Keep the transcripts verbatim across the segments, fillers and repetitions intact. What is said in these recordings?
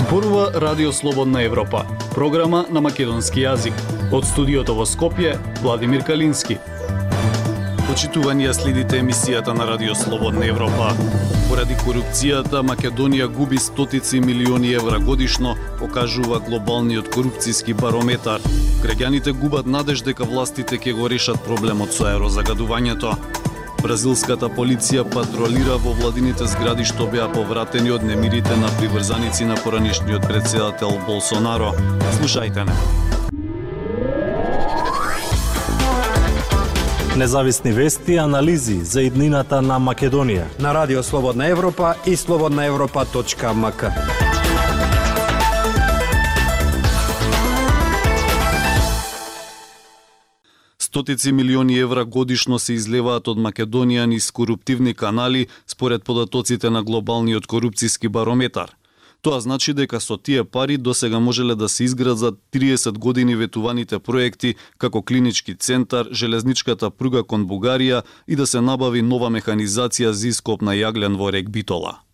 Зборува Радио Слободна Европа, програма на македонски јазик. Од студиото во Скопје, Владимир Калински. Почитување, следите емисијата на Радио Слободна Европа. Поради корупцијата, Македонија губи стотици милиони евра годишно, покажува глобалниот корупцијски барометар. Граѓаните губат надеж дека властите ќе го решат проблемот со аерозагадувањето. Бразилската полиција патролира во владините згради што беа повратени од немирите на приврзаници на поранишниот претседател Болсонаро. Слушајте не. Независни вести и анализи за иднината на Македонија на Радио Слободна Европа и слободна европа точка ем ка. Стотици милиони евра годишно се излеваат од Македонија низ коруптивни канали според податоците на глобалниот корупцијски барометар. Тоа значи дека со тие пари досега можеле да се изградат триесет години ветуваните проекти како клинички центар, железничката пруга кон Бугарија и да се набави нова механизација за ископ на јаглен во рек Битола.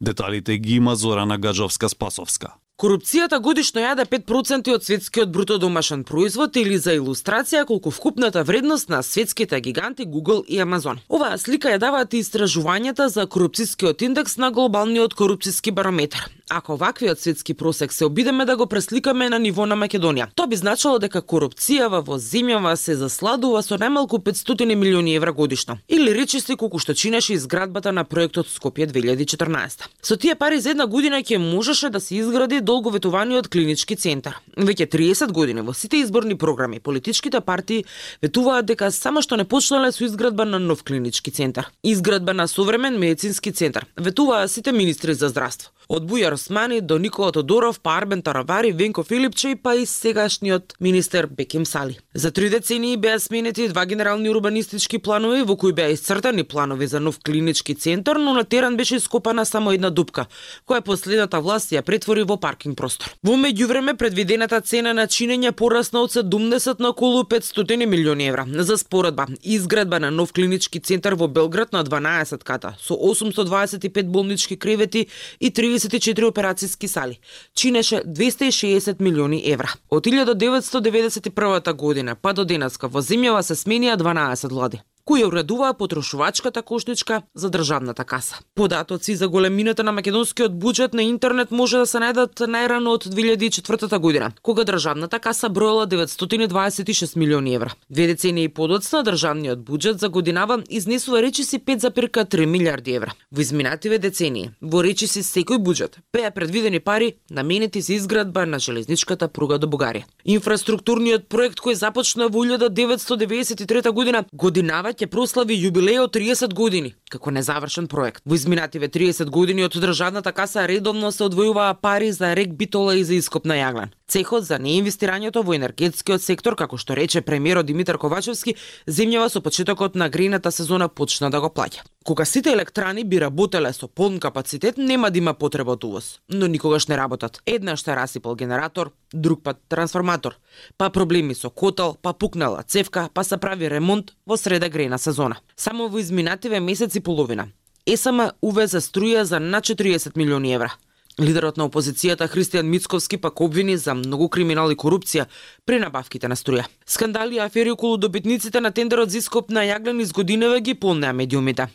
Деталите ги има Зорана Гаджовска-Спасовска. Корупцијата годишно јаде пет проценти од светскиот бруто домашен производ или за илустрација колку вкупната вредност на светските гиганти Google и Amazon. Оваа слика ја даваат и истражувањата за корупцијскиот индекс на глобалниот корупцијски барометар. Ако ваквиот светски просек се обидеме да го пресликаме на ниво на Македонија, тоа би значило дека корупцијава во земјава се засладува со најмалку петстотини милиони евра годишно. Или речиси колку што чинеше изградбата на проектот Скопје две илјади и четрнаесета. Со тие пари за една година ќе можеше да се изгради долговетуваниот клинички центар. Веќе триесет години во сите изборни програми политичките партии ветуваат дека само што не почнале со изградба на нов клинички центар, изградба на современ медицински центар, ветуваа сите министри за здравство. Од Бујар Османи до Никола Тодоров, па Арбен Таравари, Венко Филипче и па и сегашниот министер Беким Сали. За три децении беа сменети два генерални урбанистички планови во кои беа исцртани планови за нов клинички центар, но на терен беше ископана само една дупка, која последната власт ја претвори во паркинг простор. Во меѓувреме предвидената цена на чинење порасна од седумдесет на околу петстотини милиони евра. За споредба, изградба на нов клинички центар во Белград на дванаесет ката со осумстотини дваесет и пет болнички кревети и триесет и четири операцијски сали чинеше двесте и шеесет милиони евра. Од илјада деветстотини деведесет и прва година па до денеска во земјава се сменија дванаесет влади, кои уредуваа потрошувачката кошничка за државната каса. Податоци за големината на македонскиот буџет на интернет може да се најдат најрано од две илјади и четвртата година, кога државната каса броела деветстотини дваесет и шест милиони евра. Две децении и подоцна државниот буџет за годинава изнесува речиси пет запирка три милиарди евра. Во изминативе децении, во речиси секој буџет беа предвидени пари наменети за изградба на железничката пруга до Бугарија. Инфраструктурниот проект кој започна во илјада деветстотини деведесет и трета година годинава ќе прослави јубилеј од триесет години како незавршен проект. Во изминативе триесет години од државната каса редовно се одвојуваа пари за рек Битола и за ископ на јаглен. Цехот за неинвестирањето во енергетскиот сектор, како што рече премиерот Димитар Ковачевски, земјава со почетокот на грејната сезона почна да го плаќа. Кога сите електрани би работеле со полн капацитет, нема да има потреба од увоз, но никогаш не работат. Еднаш се расипал генератор, друг пат трансформатор, па проблеми со котел, па пукнала цевка, па се прави ремонт во среда грејна сезона. Само во изминативе месец и половина ЕСМ увезе струја за над четириесет милиони евра. Лидерот на опозицијата Христијан Мицковски пак обвини за многу криминал и корупција при набавките на струја. Скандали и афери околу добитниците на тендерот за ископ на јаглен из годиневе ги полнеа медиумите.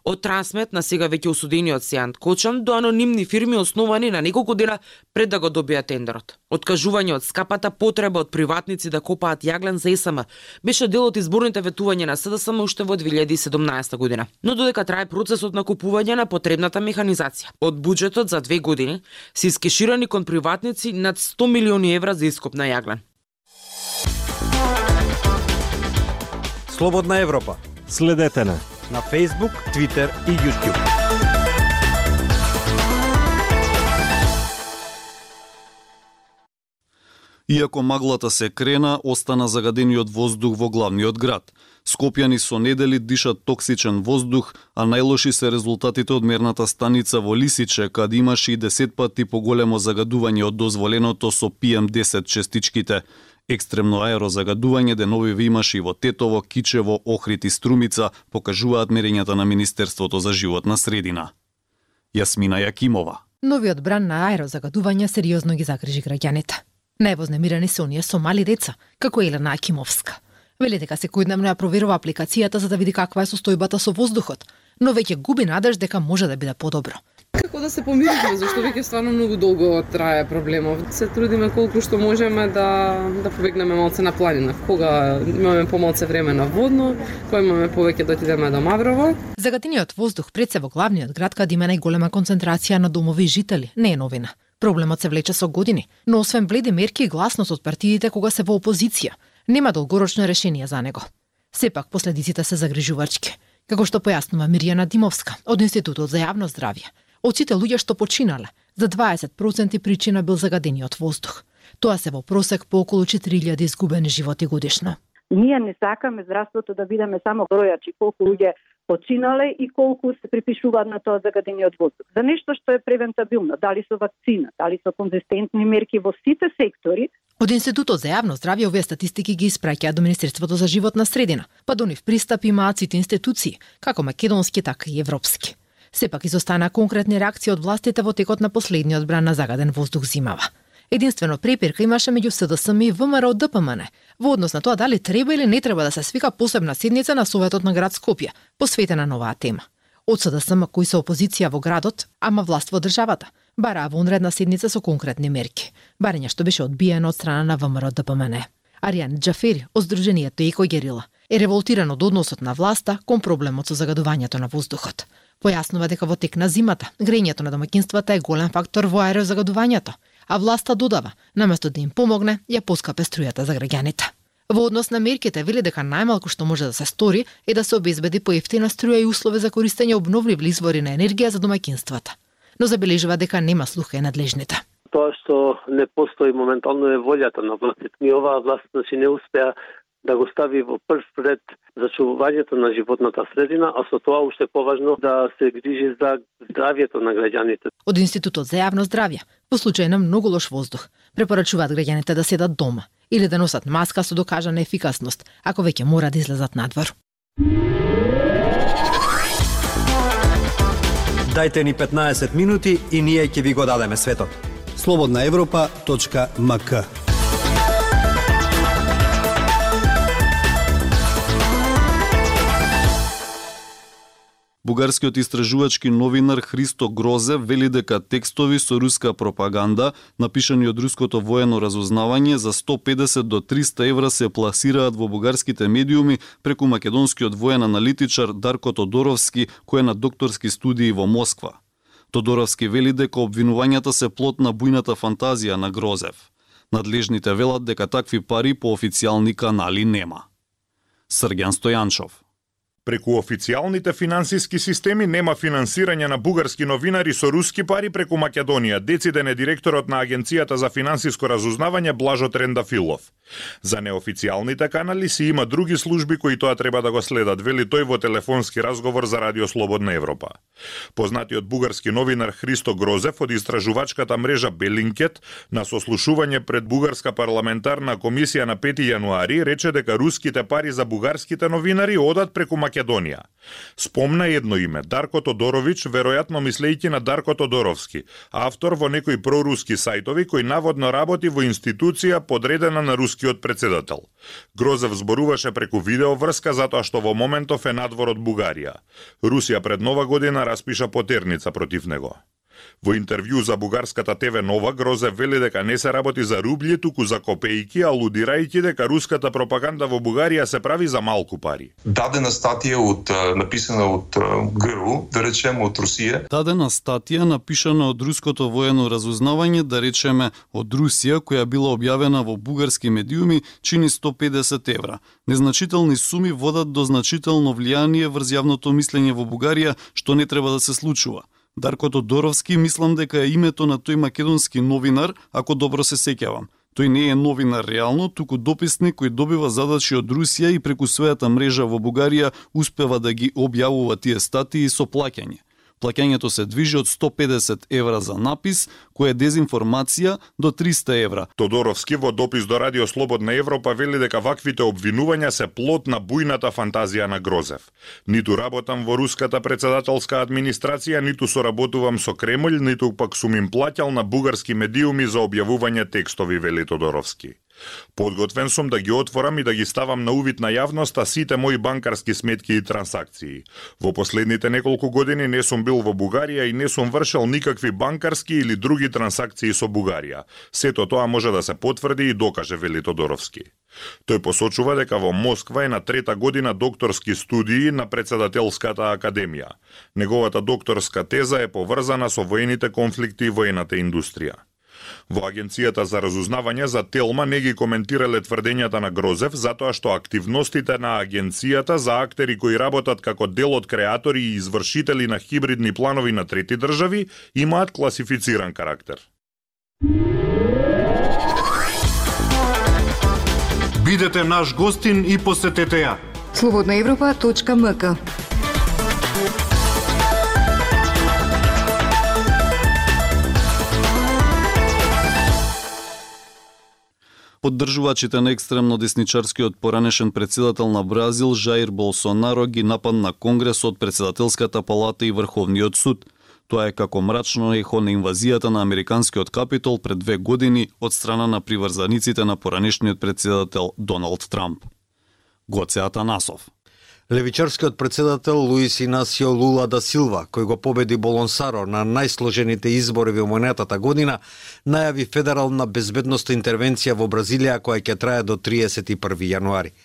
Од Трансмет на сега веќе осудениот Сејант Кочан до анонимни фирми основани на неколку дена пред да го добија тендерот. Откажување од скапата потреба од приватници да копаат јаглен за ЕСМ беше дел од изборните ветувања на СДСМ уште во две илјади и седумнаесета година. Но додека трае процесот на купување на потребната механизација, од буџетот за две години се искеширани кон приватници над сто милиони евра за ископ на јаглен. Слободна Европа. Следете на на Facebook, Twitter и YouTube. Иако маглата се крена, остана загадениот воздух во главниот град. Скопјани со недели дишат токсичен воздух, а најлоши се резултатите од мерната станица во Лисиче, каде имаше и десет пати поголемо загадување од дозволеното со пи ем десет честичките. Екстремно аерозагадување деновиве имаше и во Тетово, Кичево, Охрид и Струмица, покажуваат мерењата на Министерството за животна средина. Јасмина Јакимова. Новиот бран на аерозагадување сериозно ги загрижи граѓаните. Највознемирани се оние со мали деца, како Елена Акимовска. Вели дека секојдневно ја проверува апликацијата за да види каква е состојбата со воздухот, но веќе губи надеж дека може да биде подобро. Како да се помириме, зашто веќе стварно многу долго трае проблемов. Се трудиме колку што можеме да да побегнеме малце на планина. Кога имаме помалце време на водно, кога имаме повеќе да отидеме до Маврово. Загатениот воздух пред се во главниот град каде има најголема концентрација на домови и жители не е новина. Проблемот се влече со години, но освен бледи мерки и гласност од партиите кога се во опозиција, нема долгорочно решение за него. Сепак последиците се загрижувачки, како што појаснува Мирјана Димовска од Институтот за јавно здравје. Од сите луѓе што починале, за дваесет проценти причина бил загадениот воздух. Тоа се во просек по околу четири илјади изгубени животи годишно. Ние не сакаме здравството да бидеме само бројачи колку луѓе починале и колку се припишуваат на тоа загадениот воздух. За нешто што е превентабилно, дали со вакцина, дали со конзистентни мерки во сите сектори. Од Институтот за јавно здравје овие статистики ги испраќаат до Министерството за животна средина, па до нив пристап имаат сите институции, како македонски, така и европски. Сепак изостана конкретни реакции од властите во текот на последниот бран на загаден воздух зимава. Единствено препирка имаше меѓу СДСМ и ВМРО ДПМН во однос на тоа дали треба или не треба да се свика посебна седница на Советот на град Скопје, посветена на оваа тема. Од СДСМ кои се опозиција во градот, ама власт во државата, бараа вонредна седница со конкретни мерки, барање што беше одбиено од страна на ВМРО ДПМН. Аријан Џафери од Сдруженијето Еко Герила е револтиран од односот на власта кон проблемот со загадувањето на воздухот. Појаснува дека во тек на зимата грејењето на домаќинствата е голем фактор во аерозагадувањето, а власта додава, наместо да им помогне, ја поскапе струјата за граѓаните. Во однос на мерките вели дека најмалку што може да се стори е да се обезбеди поевтина струја и услови за користење обновливи извори на енергија за домаќинствата. Но забележува дека нема слуха и надлежните. Тоа што не постои моментално е волјата на властите. Ни оваа власт значи не успеа да го стави во прв ред зачувувањето на животната средина, а со тоа уште поважно да се грижи за здравјето на граѓаните. Од Институтот за јавно здравје, во случај на многу лош воздух, препорачуваат граѓаните да седат дома или да носат маска со докажана ефикасност, ако веќе мора да излезат надвор. Дајте ни петнаесет минути и ние ќе ви го дадеме светот. слободна европа точка ем ка. Бугарскиот истражувачки новинар Христо Грозе вели дека текстови со руска пропаганда, напишани од руското воено разузнавање, за сто педесет до триста евра се пласираат во бугарските медиуми преку македонскиот воен аналитичар Дарко Тодоровски, кој е на докторски студии во Москва. Тодоровски вели дека обвинувањата се плод на бујната фантазија на Грозев. Надлежните велат дека такви пари по официјални канали нема. Срѓан Стојанчов. Преку официјалните финансиски системи нема финансирање на бугарски новинари со руски пари преку Македонија, дециден е директорот на Агенцијата за финансиско разузнавање Блажо Трендафилов. За неофицијалните канали си има други служби кои тоа треба да го следат, вели тој во телефонски разговор за Радио Слободна Европа. Познатиот бугарски новинар Христо Грозев од истражувачката мрежа Белинкет на сослушување пред Бугарска парламентарна комисија на пети јануари рече дека руските пари за бугарските новинари одат преку Македонија. Спомна едно име, Дарко Тодорович, веројатно мислејќи на Дарко Тодоровски, автор во некои проруски сајтови кој наводно работи во институција подредена на рускиот председател. Грозев зборуваше преку видеоврска затоа што во моментов е надвор од Бугарија. Русија пред Нова година распиша потерница против него. Во интервју за бугарската ТВ Нова, Грозев вели дека не се работи за рубли, туку за копејки, алудирајќи дека руската пропаганда во Бугарија се прави за малку пари. Дадена статија од написана од ГРУ, да речеме од Русија. Дадена статија напишана од руското воено разузнавање, да речеме од Русија, која била објавена во бугарски медиуми, чини сто педесет евра. Незначителни суми водат до значително влијание врз јавното мислење во Бугарија, што не треба да се случува. Дарко Тодоровски мислам дека е името на тој македонски новинар, ако добро се сеќавам. Тој не е новинар реално, туку дописник кој добива задачи од Русија и преку својата мрежа во Бугарија успева да ги објавува тие статии со плаќање. Плаќањето се движи од сто педесет евра за напис, кој е дезинформација, до триста евра. Тодоровски во допис до Радио Слободна Европа вели дека ваквите обвинувања се плод на бујната фантазија на Грозев. Ниту работам во руската председателска администрација, ниту соработувам со Кремљ, ниту пак сум им плаќал на бугарски медиуми за објавување текстови, вели Тодоровски. Подготвен сум да ги отворам и да ги ставам на увид на јавноста сите мои банкарски сметки и трансакции. Во последните неколку години не сум бил во Бугарија и не сум вршел никакви банкарски или други трансакции со Бугарија. Сето тоа може да се потврди и докаже, вели Тодоровски. Тој посочува дека во Москва е на трета година докторски студии на председателската академија. Неговата докторска теза е поврзана со воените конфликти и воената индустрија. Во Агенцијата за разузнавање за Телма не ги коментирале тврдењата на Грозев, затоа што активностите на Агенцијата за актери кои работат како дел од креатори и извршители на хибридни планови на трети држави имаат класифициран карактер. Бидете наш гостин и посетете ја. слободна европа точка ем ка. Поддржувачите на екстремно десничарскиот поранешен председател на Бразил Жаир Болсонаро ги нападна Конгресот, председателската палата и Врховниот суд. Тоа е како мрачно ехо на инвазијата на американскиот капитол пред две години од страна на приврзаниците на поранешниот председател Доналд Трамп. Гоце Атанасов. Левичарскиот председател Луис Инасио Лула да Силва, кој го победи Болонсаро на најсложените избори во минатата година, најави федерална безбедносна интервенција во Бразилија која ќе трае до триесет и први јануари.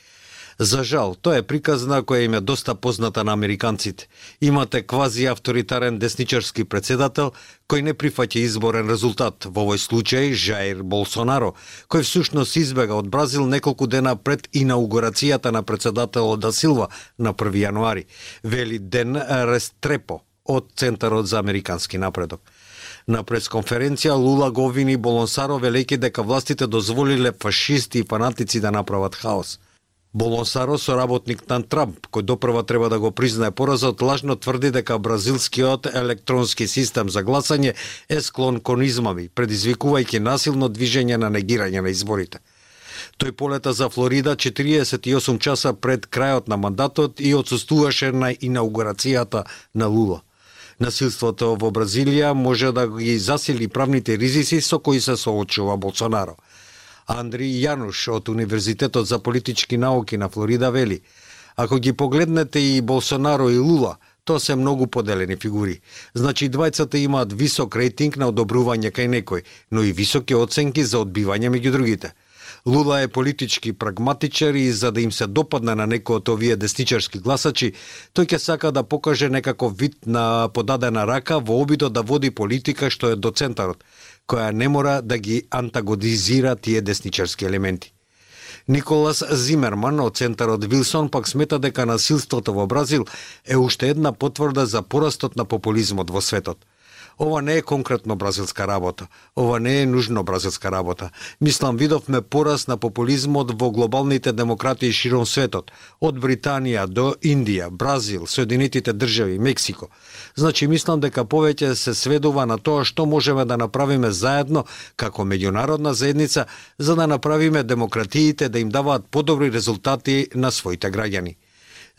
За жал, тоа е приказна која им е доста позната на американците. Имате квази авторитарен десничарски председател кој не прифаќа изборен резултат, во овој случај Жаир Болсонаро, кој всушност избега од Бразил неколку дена пред инаугурацијата на председателот да Силва на први јануари, вели Ден Рестрепо од Центарот за американски напредок. На пресконференција Лула го обвини Болонсаро велејќи дека властите дозволиле фашисти и фанатици да направат хаос. Болонсаро, соработник на Трамп, кој допрва треба да го признае поразот, лажно тврди дека бразилскиот електронски систем за гласање е склон кон измами, предизвикувајќи насилно движење на негирање на изборите. Тој полета за Флорида четириесет и осум часа пред крајот на мандатот и отсуствуваше на инаугурацијата на Лула. Насилството во Бразилија може да ги засили правните ризици со кои се соочува Болсонаро. Андри Јануш од Универзитетот за политички науки на Флорида вели: ако ги погледнете и Болсонаро и Лула, тоа се многу поделени фигури. Значи двајцата имаат висок рейтинг на одобрување кај некој, но и високи оценки за одбивање меѓу другите. Лула е политички прагматичар и за да им се допадне на некој од овие десничарски гласачи, тој ќе сака да покаже некаков вид на подадена рака во обидот да води политика што е до центарот, која не мора да ги антагонизира тие десничарски елементи. Николас Зимерман од Центарот Вилсон пак смета дека насилството во Бразил е уште една потврда за порастот на популизмот во светот. Ова не е конкретно бразилска работа. Ова не е нужно бразилска работа. Мислам, видовме пораст на популизмот во глобалните демократии широм светот, од Британија до Индија, Бразил, Соединетите држави, Мексико. Значи, мислам дека повеќе се сведува на тоа што можеме да направиме заедно како меѓународна заедница за да направиме демократиите да им даваат подобри резултати на своите граѓани.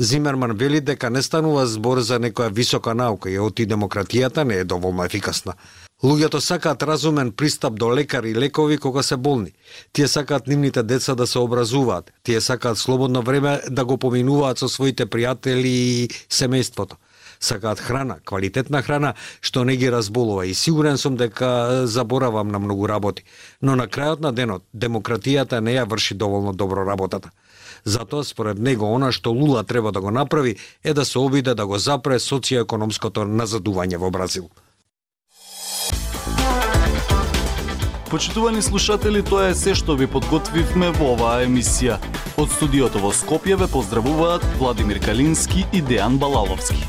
Зимерман вели дека не станува збор за некоја висока наука и оти демократијата не е доволно ефикасна. Луѓето сакаат разумен пристап до лекари и лекови кога се болни. Тие сакаат нивните деца да се образуваат. Тие сакаат слободно време да го поминуваат со своите пријатели и семејството. Сакаат храна, квалитетна храна, што не ги разболува и сигурен сум дека заборавам на многу работи. Но на крајот на денот, демократијата не ја врши доволно добро работата. Затоа, според него, она што Лула треба да го направи е да се обиде да го запре социјоекономското назадување во Бразил. Почитувани слушатели, тоа е се што ви подготвивме во оваа емисија. Од студиото во Скопје ве поздравуваат Владимир Калински и Дејан Балаловски.